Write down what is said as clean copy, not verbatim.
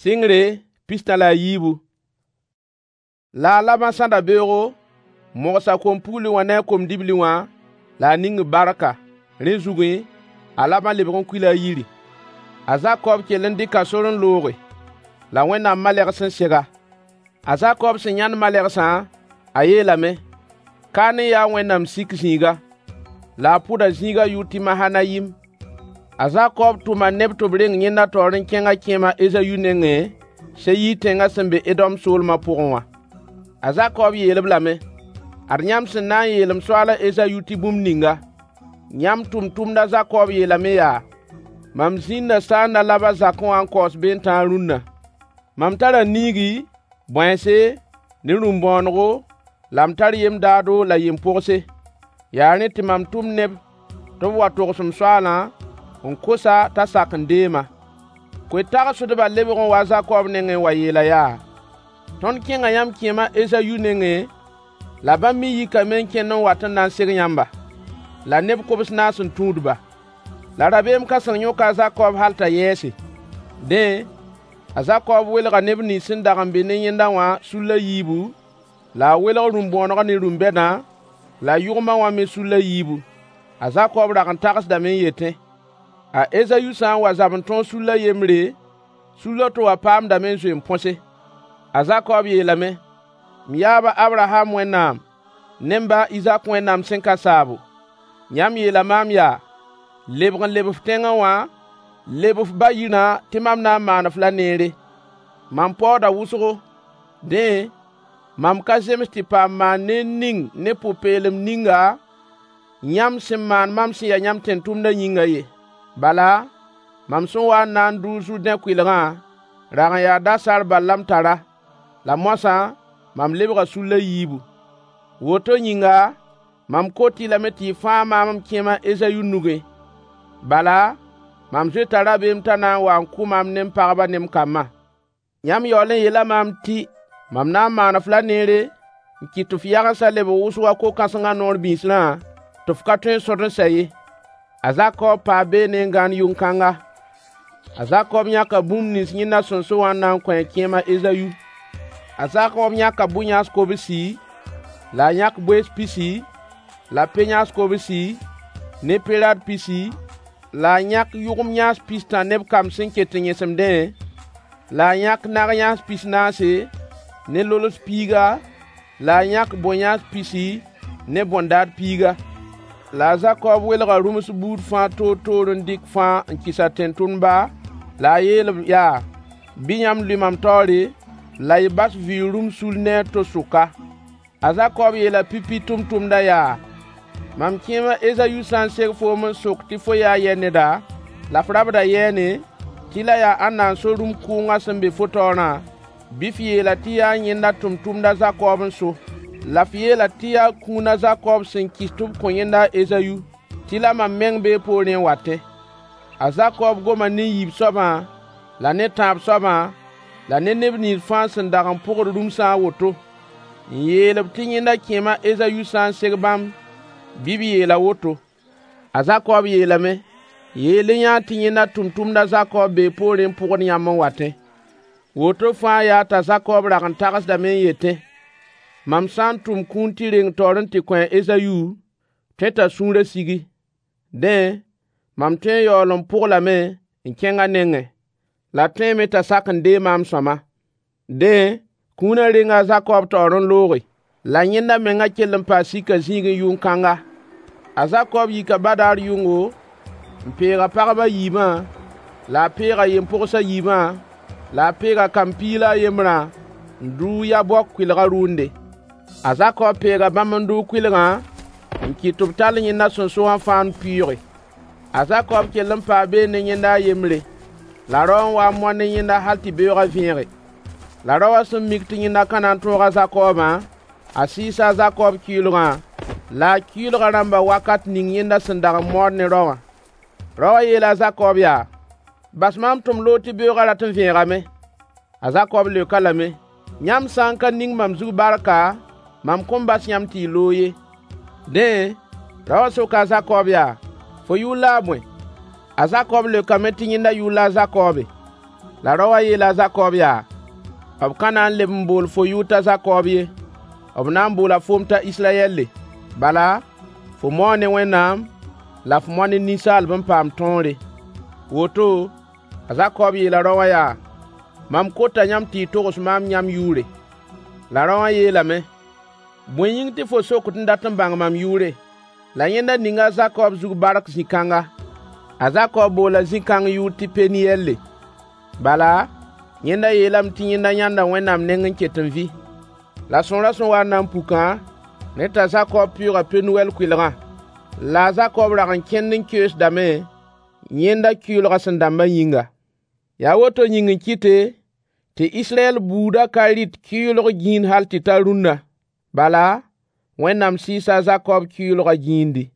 Sɩngre 63. La a Labã sãda beoogo, n mogs a kom-pugli wã ne a kom-dibli wã, la a ning-b barka. Rẽ zugẽ, a Labã lebg n kuila a yiri. A Zakob kell n dɩka sor n looge, la Wẽnnaam malegs n seg-a. A Zakob sẽn yãnd malegsã, a yeelame: Ka ne yaa Wẽnnaam sik zĩiga. La a pʋda zĩigã yʋʋr tɩ Mahanayim. A Zakob tʋma neb tɩ b reng yẽnda taoor n kẽng a kẽem a Ezayu nengẽ, Seyir tẽngã sẽn be Edom soolmã pʋgẽ wã. A Zakob yeel-b lame: Ad yãmb sẽn na n yeel m soaal a Ezayu tɩ bũmb ninga: Yãmb tʋmtʋmd a Zakob yeelame yaa: Mam zĩnda saanda Labã zakẽ wã n kaoos beentãag rũnna. Mam tara niigi, bõense, ne rũm-bõonego, la m tar yem-daado la yem-pogse. Yaa rẽ tɩ mam tʋm neb tɩ b wa togs m soaalã n kos-a t'a sak n deem-a. Koe-tagsdbã lebg n waa a Zakob nengẽ n wa yeel-a yaa: Tõnd kẽnga yãmb kẽem a Ezayu nengẽ, la bãmb me yikame n kẽnd n wat n na n seg yãmba. La neb kobs-naas n tũud-ba. La rabeem kãseng yõka a Zakob hal t'a yɛɛse. Dẽ, a Zakob welga neb nins sẽn dag n be ne yẽnda wã sul a yiibu, la a welg rũm-bõonegã ne rũm-bɛdã, la yʋgmã wã me sul a yiibu. A Zakob rag n tagsdame n yetẽ: A Ezayu sã n wa zab n tõog sul a yembre, sul a to wã paamdame n zoe n põse. A Zakob yeelame: M yaab a Abraham Wẽnnaam ne m ba a Izak Wẽnnaam sẽn ka saabo, yãmb yeela maam yaa: “Lebg n leb f tẽngẽ wã, leb f ba yirã tɩ mam na n maan-f la neere.” Mam paooda wʋsgo. Dẽ, mam ka zems tɩ paam maan neer ning ne pʋ-peelem ninga yãmb sẽn maan mam sẽn ya yãmb tẽn-tʋmdã yĩngã ye. Bala, mam sẽn waa n na n dʋ Zʋrdẽ kʋɩlgã rag n yaa dasaar bal la m tara, la moasã mam lebga sul a yiibu. Woto yĩnga, mam kot-y lame tɩ y fãag maam m kẽem a Ezayu nugẽ. Bala, mam zoeta rabeem t'a na n wa n kʋ maam ne m pagba ne m kambã. Yãmb yaool n yeela maam tɩ mam na n maan-f la neere n kɩt tɩ f yagensã lebg wʋsg wa ko-kãsengã noor bĩsrã, tɩ f ka tõe n sõd n sɛ ye. A Zakob paa beene n gãand yʋn-kãnga. A Zakob yãka bũmb nins yẽnda sẽn so wã n na n kõ a kẽem a Ezayu. A Zakob yãka bʋ-yãas kobsi, la a yãk boees pisi, la pe-yãas kobsi, ne pe-rad pisi, la a yãk yʋgem yãas pistã ne b kamb sẽn ket n yẽsemdẽ, la a yãk nag-yãas pis-naase ne lols piiga, la a yãk bõn-yãas pisi ne bõn-daad piiga. La a Zakob welga rũms buud fãa toor-toor n dɩk fãa n kɩs a tẽn-tʋmdba, la a yeel-b yaa: Bɩ yãmb lʋɩ mam taoore, la y bas vɩʋʋg rũms sul ne a to sʋka. A Zakob yeela pipi tʋmtʋmdã yaa: Mam kẽem a Ezayu sã n seg foom n sok tɩ fo yaa yɛ neda, la f rabda yɛɛne, tɩ la yaa ãnna n so rũm kʋʋngã sẽn be fo taoorã, bɩ f yeel-a tɩ yaa yẽnda tʋmtʋmd a Zakob n so. La f yeel-a tɩ yaa kũun a Zakob sẽn kɩs tɩ b kõ yẽnda a Ezayu, tɩ la mam meng bee poorẽ n watẽ. A Zakob goma ne yiib soabã la ne tãab soabã la ne neb nins fãa sẽn dag n pʋgd rũmsã a woto, n yeel-b tɩ yẽnda kẽem a Ezayu sã n seg bãmb, bɩ b yeel a woto. A Zakob yeelame: Yeel-y yã tɩ yẽnda tʋmtʋmd a Zakob bee poorẽ n pʋgd yãmb n watẽ. Woto fãa yaa t'a Zakob rag n tagsdame n yetẽ: Mam sã n tʋm kũun tɩ reng taoor n tɩ kõ a Ezayu, tõe t'a sũurã sigi. Dẽ, mam tõe n yaool n pʋg-lame n kẽng a nengẽ. La tõeeme t'a sak n deeg maam sõama. Dẽ, kũunã renga a Zakob taoor n looge. La yẽnda menga kell n paa sika zĩigẽ yʋn-kãnga. A Zakob yika badaar yʋngo n peeg a pagb a yiibã, la a peeg a yem-pogs a yiibã, la a peeg a kamb piig la a yembrã n dʋʋg Yabok kʋɩlgã rʋʋnde. A Zakob peega bãmb n dʋʋg kʋɩlgã n kɩt tɩ b tall yẽnda sẽn so wã fãa n pʋɩʋge. A Zakob kell n paa beene ne yẽnda a yembre. La rao n waa n moan ne yẽnda hal tɩ beoogã vẽege. La raowã sẽn mik tɩ yẽnda ka na n tõog a Zakobã, a sɩɩsa a Zakob kɩɩlgã, la a kɩɩlgã rãmba wakat ning yẽnda sẽn dag n mood ne rao wã. Raowã yeela a Zakob yaa: Bas maam tɩ m loog tɩ beoogã rat n vẽegame. A Zakob leok-a lame: Yãmb sã n ka ning mam zug barka, mam kõn bas yãmb tɩ y loog ye. Dẽ, raowã soka a Zakob yaa: Fo yʋʋr la a bõe? A Zakob leokame tɩ yẽnda yʋʋr la a Zakobe. La rao wã yeela a Zakob yaa: B ka na n leb n bool fo yʋʋr t'a Zakob ye, b na n boola foom t'a Israyɛlle. Bala, fo mao ne Wẽnnaam, la fo mao ne ninsaalb n paam tõore. Woto, a Zakob yeela rao wã yaa: Mam kota yãmb tɩ y togs maam yãmb yʋʋre. La rao wã yeelame: Bõe yĩng tɩ fo sokd n dat n bãng mam yʋʋre? La yẽnda ninga a Zakob zug bark zĩ-kãnga. A Zakob boola zĩ-kãng yʋʋr tɩ Peniyɛlle. Bala, yẽnda yeelame tɩ yẽnda yãnda Wẽnnaam neng n ket n vɩ. La sõorã sẽn wa n na n pukã, rẽ t'a Zakob pɩʋʋga Penuwɛl kʋɩlgã. La a Zakob rag n kẽnd n keoosdame, yẽnda kɩʋʋlgã sẽn dãmbã yĩnga. Yaa woto yĩng n kɩte tɩ Israyɛl buudã ka rɩt kɩʋʋlg gĩin hal tɩ ta rũnna. Bala, Wẽnnaam sɩɩsa a Zakob kɩʋʋlgã gĩindi.